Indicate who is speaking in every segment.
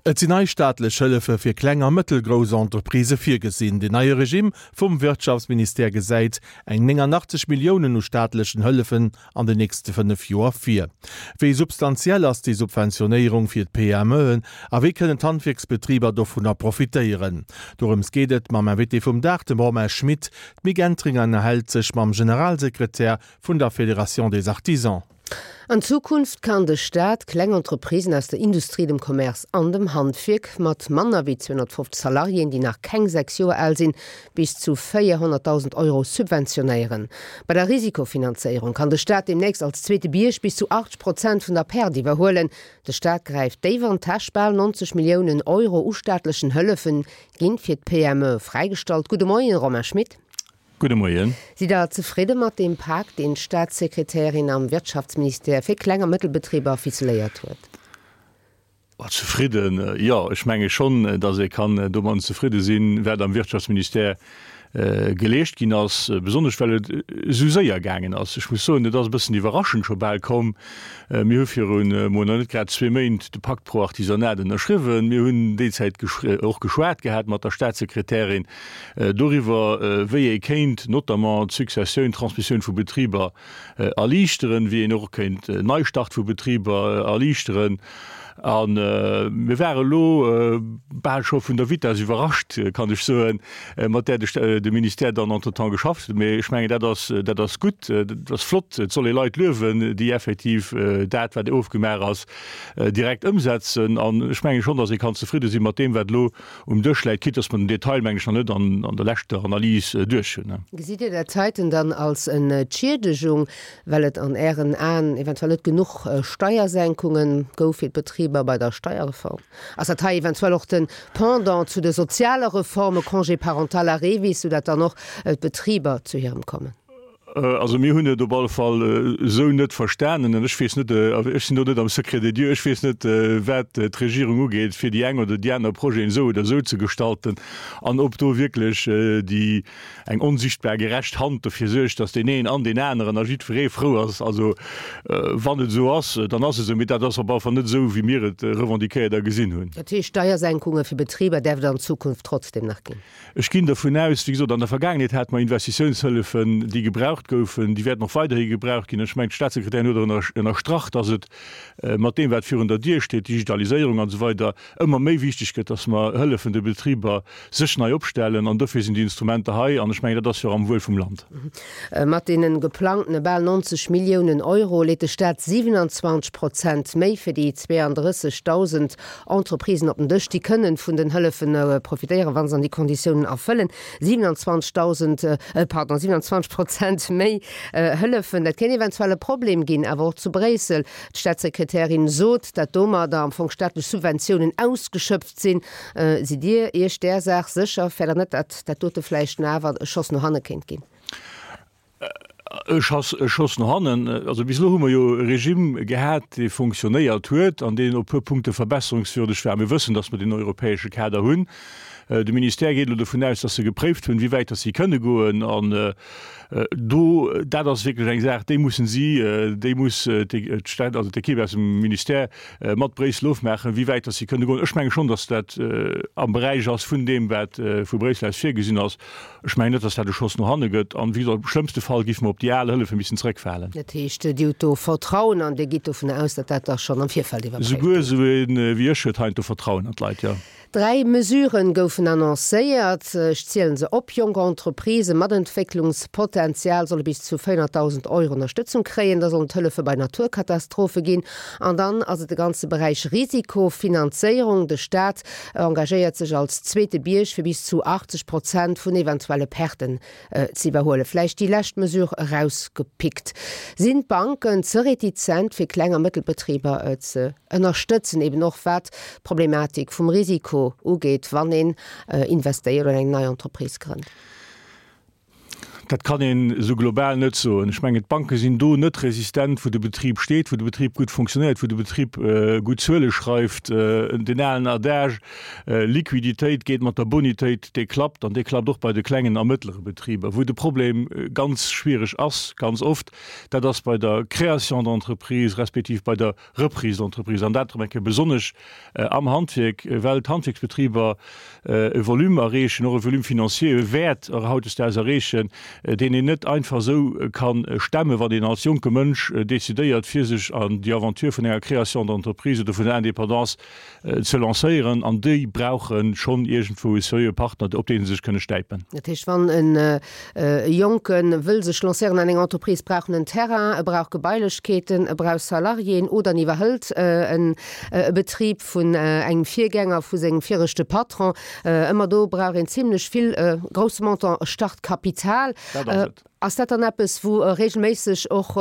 Speaker 1: Et sinn nei staatlech Hëllefe fir kleng a mëttelgrouss Entreprisë virgesinn. Den neie Regimm vum Wirtschaftsministère gesäit eng 89 Milliounen u staatlechen Hëllefen an den nächste 5 Joer vir. Wéi substantiell ass déi Subventionéierung fir d'PMEen a wéi kënnen d'Handwierksbetriber dovunner profitéieren? Dorëms geet et mam Invité vum Dag, dem Romain Schmit. D'Mick Entringer ënnerhält sech mam Generalsekretär vun der Fédération des Artisans.
Speaker 2: An Zukunft kann de Staat kleng Entreprisen aus der Industrie, dem Commerce an dem Handwierk mat manner wéi 250 Salariéen, déi nach keng 6 Joer al sinn, bis zu 400.000 Euro subventionéieren. Bei der Risikofinanzéierung kann de Staat deemnächst als zweete Bierg bis zu 80 Prozent vun der Perte iwwerhuelen. De Staat gräift déif an d'Täsch, Bal 90 Milliounen Euro u staatlechen Hëllefe ginn fir d'PME fräigestallt. Gudde Moien, Romain Schmit.
Speaker 3: Gudde Moien.
Speaker 2: Sidd Der zefridde mat deem Pak, deen d'Staatssekretärin am Wirtschaftsministère fir Kleng a Mëttelbetriber ficeléiert huet?
Speaker 3: Zefridden, jo, ech menge schonn, datt ee kann domadden zefridde sinn, wat am Wirtschaftsministère geleescht ginn ass, besonnesch well et esou séier gaangen ass. Ech muss soen, et ass e bëssen iwwerraschend scho bal komm. Mir hu virun emol nach net grad zwee Méint de Pacte pro Artisanat ënnerschriwwen. Mir hunn déi Zäit och geschwat gehat mat der Staatssekretärin. Doriwwer, wéi ee kéint notamment d'Successioun, d'Transmissioun vu Betriber erliichteren, wéi een och kéint Neistart vu Betriber erliichteren. A mir ware elo bal scho vun der Vitess iwwerrascht, kann ech soen, mat där de Ministère dann entretemps geschafft huet. Mee ech mengen, dat ass, dat ass gutt, dat ass flott. Et soll ee Leit luewen, déi effektiv dat, wat ofgemaach ass, direkt ëmsetzen. An ech menge schonn, datt ee kann zefridde si mat deem, wat elo um Dësch läit, quitte dass mer den Detail, meng ech, nach net an der leschter Analys duerch hunn.
Speaker 2: Gesitt Dir dat heiten dann als Entschiedegung, well et an Ären Aen eventuell net genuch Steiersenkunge gouf fir d'Betriber bei der Steierreform? Ass dat hei eventuell och de Pendant zu de soziale Reforme, Congé parental a REVIS, soudatt dann och d'Betriber zu hirem kommen?
Speaker 3: Also mir hunn et op alle Fall esou net verstanen an ech weess net, ech sinn do net am Secret des dieux, ech weess net, wat d'Regierung ugeet, fir déi eng oder déi aner Projeten esou oder esou ze gestalten an ob do wierklech déi eng onsichtbar gerecht Hand dofir suergt, datt deen een an deen aneren a jiddweree frou ass. Also wann et esou ass, dann ass et esou, mee dat ass op alle Fall net esou, wéi mir et revendiquéiert a gesinn hunn.
Speaker 2: Dat heescht, Steiersenkunge fir Betriber däerf et an Zukunft trotzdem nach ginn?
Speaker 3: Ech ginn dervun aus, wéi gesot, an der Vergaangenheet hate mer Investitiounshëllefen, déi gebraucht goufen, déi wäerten och weiderhi gebraucht ginn. Ech mengen, d'Staatssekretärin huet och ënnerstrach, dass et mat deem, wat virun der Dier steet, Digitaliséierung an esou weider, ëmmer méi wichteg gëtt, dass mer hëllefen de Betriber, sech nei opstellen. An dofir sinn déi Instrumenter hei. An ech mengen, dat ass jo och am Wuel vum Land.
Speaker 2: Mat deene geplangtene bal 90 Milliounen Euro leet de Staat 27 Prozent méi fir déi 32.000 Entreprisen op den Dësch, déi kënnen vun den Hëllefen profitéieren, wa se an déi Konditiounen erfëllen. 27.000, pardon, 27 Prozent méi Hëllefen, dat kéint eventuell e Problem ginn, awer och zu Bréissel. D'Staatssekretärin sot, dat domadder am Fong staatlech Subventiounen ausgeschöpft sinn. Sidd Dir Iech där Saach sécher? Fäert Der net, datt dat dote vläicht awer e Schoss no hanne kéint ginn?
Speaker 3: E Schoss no hannen. Also bis elo hu mer jo e Regime gehat, dee fonctionnéiert huet an deen op e puer Punkte verbesserungswürdeg war. Mir wëssen, datt mer deen europäesche Kader hunn. De Ministère geet elo dovun aus, datt se gepréift hunn, wéi wäit datt si kënne goen. An do, dat ass wierklech eng Saach, déi mussen si, déi muss d'Stad, also d'Ekipp aus dem Ministère mat Bréissel ofmaachen, wéi wäit datt si kënne goen. Ech menge schonn, datt dat am Beräich ass vun deem, wat vu Bréissel aus virgesinn ass. Ech mengen net, datt dat e Schoss no hanne gëtt. An, wéi gesot, am schlëmmste Fall géife mer op déi al Hëllefe missen zrëckfalen.
Speaker 2: Dat heescht, Dir hutt do Vertrauen an Dir gitt dovun aus, datt dat da schonn am Virfeld iwwerpréift
Speaker 3: Souguer gëtt? esou een wéi ech huet heiansdo Vertrauen an d'Leit, jo.
Speaker 2: Dräi Mesurë goufen annoncéiert. Ech zielen se op, Jonk Entreprisë mat Entwécklungspotenzial solle bis zu 400.000 Euro Ënnerstëtzung kréien. Da sollen et Hëllefe bei Naturkatastrophe ginn. An dann ass et de ganze Beräich Risikofinanzéierung. De Staat engagéiert sech als zweete Bierg fir bis zu 80 Prozent vun eventuelle Perten ze iwwerhuelen. Vläicht déi lescht Mesure erausgepickt. Sinn d'Banken ze retizent fir Kleng a Mëttelbetriber ze ënnerstëtzen, eben och wat d'Problematik vum Risiko ugeet, wann een investéiert oder eng nei Entreprise grënnt?
Speaker 3: Dat kann een esou global net soen. Ech mengen, d'Banke sinn do net resistent, wou de Betrib steet, wou de Betrib gutt funktionéiert, wou de Betrib gutt Zuele schreift. Deen alen Adage, Liquiditéit geet mat der Bonitéit, dee klappt an dee klappt och bei de klengen a mëttlere Betriber. Wou de Problem ganz schwiereg ass, ganz oft, dat ass bei der Création d'entreprise respektiv bei der Reprise d'entreprise, an dat erëm eng Kéier besonnesch am Handwierk, well d'Handwierksbetriber e Volume erreechen, och e Volume financier, e Wäert hautdesdaags erreechen, deen een net einfach esou ka stemmen, wann een als jonke Mënsch decidéiert, fir sech an déi Aventure vun enger Création d'entreprise oder vun der Indépendance ze lancéieren. An déi brauche schonn iergendwou e seriöe Partner, op dee se sech kënne stäipen.
Speaker 2: Dat heescht, wann e Jonke wëll sech lancéieren an eng Entreprise, brauch en en Terrain, e brauch Gebailechkeeten, e brauch Salariéen oder en iwwerhëlt e Betrib vun engem Virgänger, vu sengem viregte Patron. Ëmmer do brauch een zimlech vill, e grousse Montant Startkapital.
Speaker 3: Dat ass et.
Speaker 2: Ass dat dann eppes, wou regelméisseg och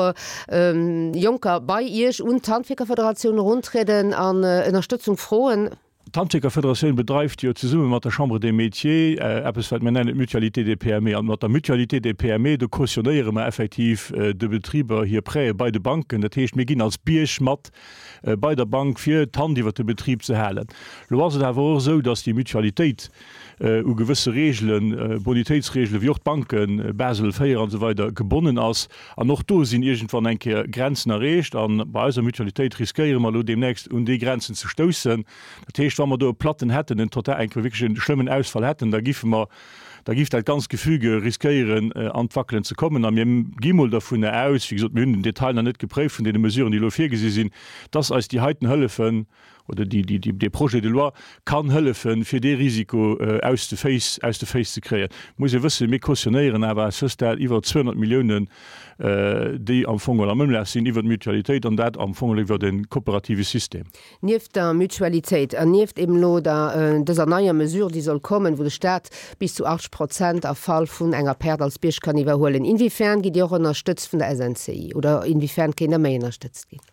Speaker 2: Jonker bei Iech un d'Handwierkerfederatioun eruntrieden an Ënnerstëtzung froen?
Speaker 3: D'Handwierkerfederatioun bedreift jo zesumme mat der Chambre des Métiers eppes, wat mir nennen d'Mutualité des PME. An mat der Mutualité des PME, do cautionnéiere mer effektiv de Betriber hir Prêtë bei de Banken. Dat heescht, mir ginn als Bierg mat bei der Bank, fir d'Hand iwwert de Betrib ze halen. Elo ass et awer och esou, dass déi Mutualitéit u gewësse Reegelen, Bonitéitsreegelen, wéi och d'Banken, Basel IV an esou weider, gebonnen ass. An och do sinn iergendwann eng Kéier Grenzen erreecht. A bei eiser Mutualitéit riskéiere mer elo deemnächst un déi Grenzen ze stoussen. Dat heescht, wa mer do e Platten hätten, en total, eng Kéier wierklech e schlëmmen Ausfall hätten, da giffe mer, da giff dat ganzt Gefüge riskéieren an d'Wackelen ze kommen. A mir gi mol dovunner aus, wéi gesot, mir hunn den Detail nach net gepréift vun deene Mesuren, déi elo virgesi sinn, dass eis déi heiten Hëllefen, oder déi, déi, dee Projet de loi kann hëllefen, fir dee Risiko aus de Féiss, aus de Féiss ze kréien. Et muss ee wëssen, mir cautionnéieren awer à ce stade iwwer 200 Milliounen, déi am Fong am Ëmlaf sinn iwwer d'Mutualitéit, an dat am Fong iwwer e kooperative System.
Speaker 2: Nieft der Mutualitéit an nieft eben elo der, dëser neier Mesure, déi soll kommen, wou de Stat bis zu 80 Prozent a Fall vun enger Perte als Bierg kann iwwerhuelen, inwiefern gitt Dir och ënnerstëtzt vun der SNCI oder inwiefern kéint Der méi ënnerstëtzt ginn?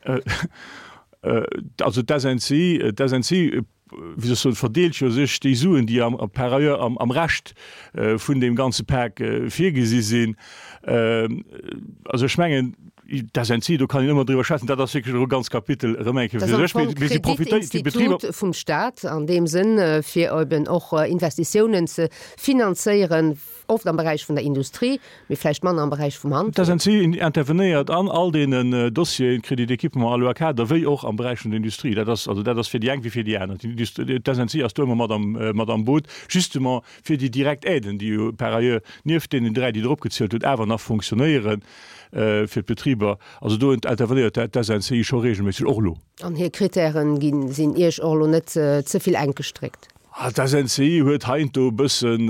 Speaker 3: Also d'SNCI, d'SNCI, wéi soll ech soen, verdeelt jo sech déi Suen, déi am, par ailleurs am, am Rescht vun deem ganze Pak virgesi sinn. Also ech mengen, d'SNCI, do kann een ëmmer driwwer schwätzen, dat ass wierklech elo e ganz Kapitel erëm eng Kéier fir sech,
Speaker 2: mee si profitéiert, déi Betriber. Kreditinstitut vum Stat an deem Sënn, fir eben och Investitiounen ze finanzéieren. Oft am Beräich vun der Industrie, mee vläicht manner am Beräich vum Handwierk.
Speaker 3: D'SNCI intervenéiert an all deenen Dossieren, Crédit d'équipement, Aloa Kader, wéi och am Beräich vun der Industrie. Dat ass, also dat ass fir déi eng wéi fir déi aner. D'SNCI ass do ëmmer mat am, mat am Boot, justement fir déi direkt Aiden, déi jo par ailleurs nieft deenen 3, déi Der opgezielt hutt, awer nach fonctionnéieren fir d'Betriber. Also do intervenéiert d'SNCI scho regelméisseg, och elo.
Speaker 2: An hir Kritären ginn, sinn Iech och elo net ze vill enk gestréckt?
Speaker 3: D'SNCI huet heiansdo e bëssen,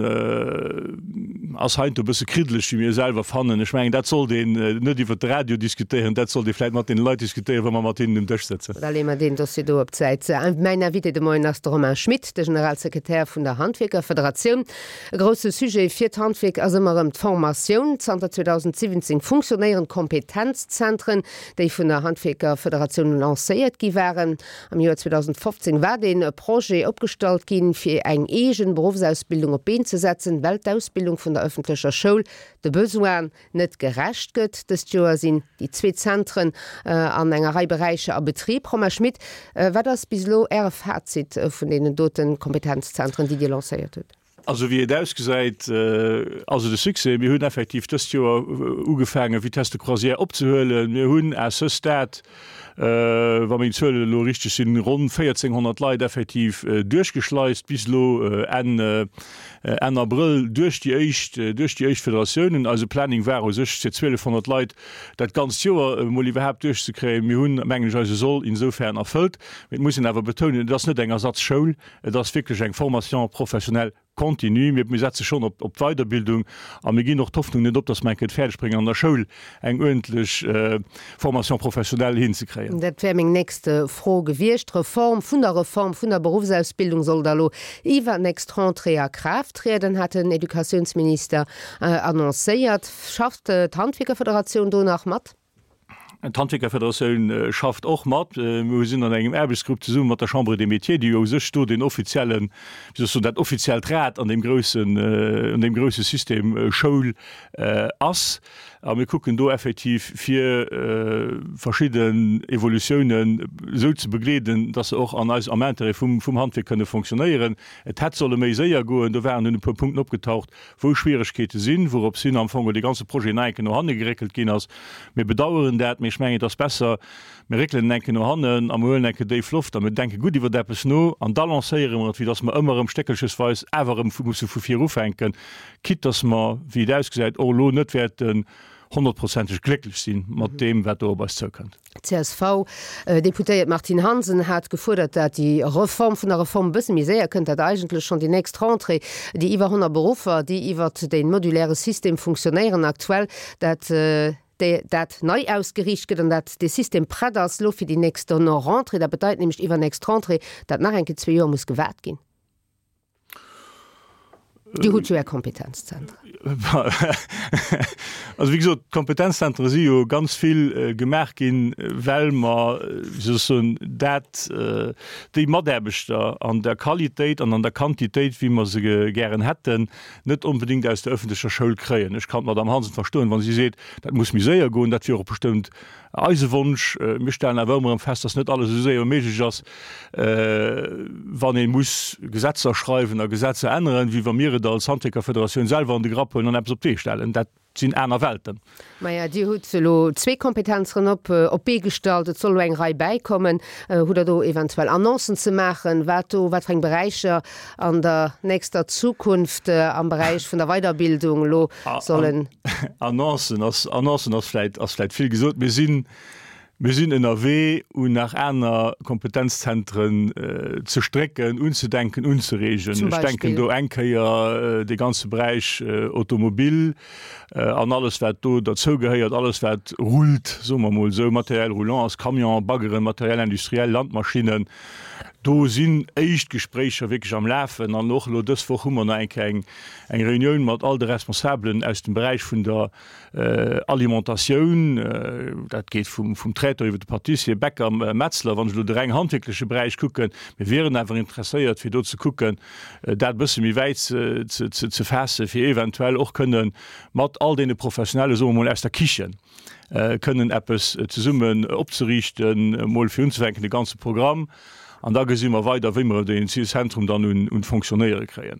Speaker 3: ass heiansdo e bësse kriddeleg, wéi mir selwer fannen. Ech mengen, dat sollt een net iwwert de Radio diskutéieren, dat sollt ee vläicht mat deene Leit diskutéieren, wa mer mat hinnen um Dësch sëtzen.
Speaker 2: Da leeë mer deen Dossier do op d'Säit. Mäin Invité de Moien ass de Romain Schmit, de Generalsekretär vun der Handwierkerfederatioun. E grousse Sujet fir d'Handwierk ass ëmmer erëm d'Formatioun. Zanter 2017 funktionéieren d'Kompetenzzentren, déi vun der Handwierkerfederatioun lancéiert gi waren. Am Joer 2015 war dee Projet opgestallt ginn, fir eng eegen Beruffsausbildung op d'Been ze setzen, well d'Ausbildung vun der ëffentlecher Schoul de Besoinen net gerecht gëtt. Dëst Joer sinn déi zwee Zentren an enger Rei Beräicher a Betrib. Romain Schmit, wat ass bis elo Äre Fazit vun deenen dote Kompetenzzentren, déi Dir lancéiert hutt?
Speaker 3: Also wéi et ausgesäit, ass et e Succès. Mir hunn effektiv dëst Joer ugefaangen, Vitesse de croisière opzehuelen. Mir hunn à ce stade, wa meng Zuelen elo richteg sinn, ronn 1.400 Leit effektiv duerchgeschleist bis elo Enn, Enn Abrëll duerch déi éischt, duerch déi éischt Federatiounen. Eise Planning war u sech fir 1.200 Leit dat ganzt Joer emol iwwerhaapt duerchzekréien. Mir hunn, mengen ech, eise Soll insofern erfëllt. Mee et muss een awer betounen, et ass net eng Ersatzschoul. Et ass wierklech eng Formation professionnelle continue. Mir setze schonn op d'Weiderbildung a mir ginn och d'Hoffnung net op, dass mer eng Kéier et fäerdeg bréngen, an der Schoul eng uerdentlech Formation professionnelle hinzekréien.
Speaker 2: Dat wär meng nächst Fro gewiescht. D'Reform vun der Reform vun der Beruffsausbildung soll da lo iwwernächst Rentrée a Kraaft trieden, hat den Educatiounsminister annoncéiert. Schafft d'Handwierkerfederatioun do nach mat?
Speaker 3: D'Handwierkerfederatioun schafft och mat. Mir sinn an engem Aarbechtsgrupp zesumme mat der Chambre des Métiers, déi jo u sech do deen offiziellen, wéi soll ech soen, dat offiziellt Rad an deem groussen, an deem grousse System Schoul ass. A mir kucken do effektiv, fir verschidden Evolutiounen esou ze begleeden, dass se och an eis, am Intérêt vum, vum Handwierk kënne fonctionnéieren. Et hätt solle méi séier goen. Do waren dunn e puer Punkten opgetaucht, wou Schwieregkeete sinn, wourops hin am Fong dee ganze Projet nach eng Kéier no hanne geréckelt ginn ass. Mir bedauern dat, mee ech mengen, et ass besser, mir réckelen en eng Kéier no hannen a mir huelen eng Kéier déif Loft a mir denke gutt iwwer eppes no an da lancéiere mer et, wéi dass mer ëmmer erëm stéckelchesweis awer erëm musse vu vir ufänken, quitte dass mer, wéi et ausgesäit, och elo net wäerten honnertprozenteg glécklech si mat deem, wat do op eis zoukënnt.
Speaker 2: D'CSV-Deputéiert Martine Hansen hat gefuerdert, dat déi Reform vun der Reform e bësse méi séier kënnt, dat eigentlech schonn déi nächst Rentrée déi iwwer 100 Beruffer, déi iwwert de moduläre System funktionéieren aktuell, dat dat nei ausgeriicht gëtt an dat dee System prett ass elo fir déi nächst Rentrée. Dat bedeit nämlech iwwernächst Rentrée, dat nach eng Kéier zwee Joer muss gewaart ginn. Dir hutt jo Är Kompetenzzentren.
Speaker 3: Also wéi gesot, d'Kompetenzzentre si jo ganz vill gemaach ginn, well mer, wéi soll ech soen, dat, déi Mataarbechter an der Qualitéit an an der Quantitéit, wéi mer se gären hätten, net onbedéngt aus der öffentlecher Schoul kréien. Ech kann d'Madame Hansen verstoen, wa si seet, dat muss méi séier goen. Dat wier och bestëmmt Eise Wonsch, mir stellen awer ëmmer erëm fest, dass net alles esou séier méiglech ass, wann ee muss Gesetzer schreiwen a Gesetzer änneren, wéi wa mir et als Handwierkerfederatioun selwer an de Grapp huelen an eppes op d'Bee stellen. Dat sinn aner Welten.
Speaker 2: Maja, Dir hutt elo zwee Kompetenzeren op op d'Bee gestallt. Et soll elo eng Rei bäikommen. Hutt Der do eventuell Annoncen ze maachen, wat do, wat fir eng Beräicher an der nächster Zukunft am Beräich vun der Weiderbildung elo sollen.
Speaker 3: Annoncen ass, Annoncen ass vläit, ass vläit vill gesot. Mir sinn, mir sinn ënnerwee un nach aner Kompetenzzentren ze strécken, unzedenken, unzereegen.
Speaker 2: Zum
Speaker 3: Ech denken
Speaker 2: Beispill?
Speaker 3: do eng Kéier dee ganze Beräich Automobil an alles wat do derzougehéiert, alles wat rullt, soe mer emol esou, Matériel roulant ass, Camion, Baggeren, Matériel industriel, Landmaschinnen. Do sinn éischt Gespréicher wierklech am Lafen an och elo dës Woch hu mer nach eng Kéier eng eng Reunioun mat all de Responsabelen aus dem Beräich vun der Alimentatioun. Dat geet vum vum Traiteur iwwer de Pâtissier, Bäcker, Metzler, wann ech elo de reng handwierkleche Beräich kucken. Mir wieren awer interesséiert, fir do ze kucken, dat e bësse méi wäit ze ze ze faassen, fir eventuell och kënne mat all deene Professionelle, soe mer mol, aus der Kichen, kënnen eppes zesummen opzeriichten, emol fir unzefänken de ganze Programm, an da gesi mer weider, wéi mer deen Zentrum dann un d'Fonctionnéiere kréien.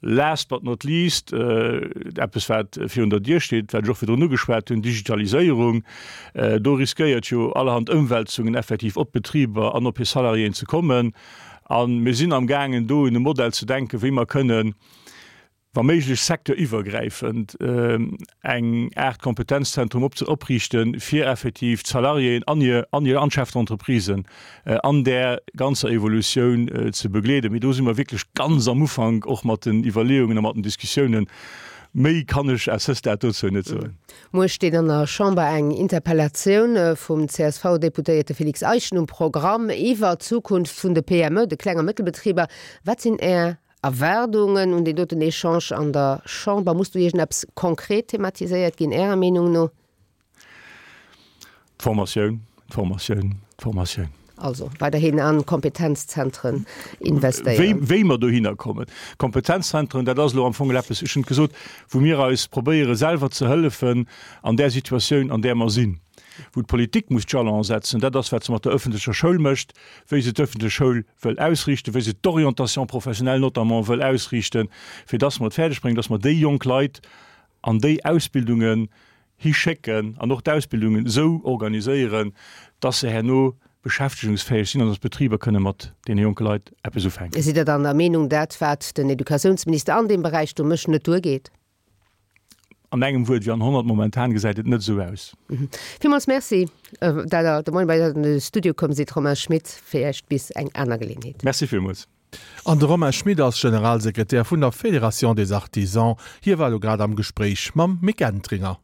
Speaker 3: Last but not least, eppes wat virun der Dier steet, wat ech och virdrun ugeschwat hunn, Digitaliséierung. Do riskéiert jo allerhand Ëmwälzungen effektiv op d'Betriber an op hir Salariéen ze kommen. A mir sinn amgaangen do un e Modell ze denken, wéi mer kënnen, wa méiglech secteuriwwergräifend, eng Aart Kompetenzzentrum op ze opriichten, fir effektiv d'Salariéen an hir an hir an d'Chefs d'entreprisen an där ganzer Evolutioun ze begleeden. Mee do si mer wierklech ganz am Ufank, och mat den Iwwerleeungen a mat den Diskussiounen. Méi kann ech à ce stade dozou net soen.
Speaker 2: Muer steet an der Chamber eng Interpellatioun vum CSV-Deputéierte Félix Eischen um Programm iwwer d'Zukunft vun de PME, de Kleng a Mëttelbetriber. Wat sinn Är Erwaardungen un deen doten Echange an der Chamber? Muss do iergendeppes konkret thematiséiert ginn, Ärer Meenung no?
Speaker 3: D'Formatioun, d'Formatioun, d'Formatioun.
Speaker 2: Also weiderhin an Kompetenzzentren investéieren.
Speaker 3: Wéi, wéi mer dohinner kommen. Kompetenzzentren, dat ass elo am Fong eppes, ech hunn et gesot, wou mir eis probéiere selwer ze hëllefen an där Situatioun, an där mer sinn. Wou d'Politik muss d'Jalone setzen, dat ass wat se mat der öffentlecher Schoul mécht, wéi se d'öffentlech Schoul wëll ausriichten, wéi se d'Orientation professionnelle notamment wëll ausriichten, fir dass mer et fäerdeg bréngen, dass mer déi jonk Leit an déi Ausbildungen hischécken an och d'Ausbildungen esou organiséieren, dass se herno beschäftegungsfäeg sinn an dass d'Betriber kënne mat deene jonke Leit eppes ufänken.
Speaker 2: Sidd Der dann der Meenung, dat wat den Educatiounsminister an deem Beräich do mécht, net duergeet?
Speaker 3: An engem Wuert wéi an 100, momentan gesäit et net esou aus.
Speaker 2: Villmools Merci, dat Der de Moien bei eis an de Studio komm sidd, Romain Schmit. Villäicht bis eng aner Geleeënheet.
Speaker 3: Merci villmools.
Speaker 1: An de Romain Schmit ass Generalsekretär vun der Fédération des Artisans. Hie war elo grad am Gespréich mam Mick Entringer.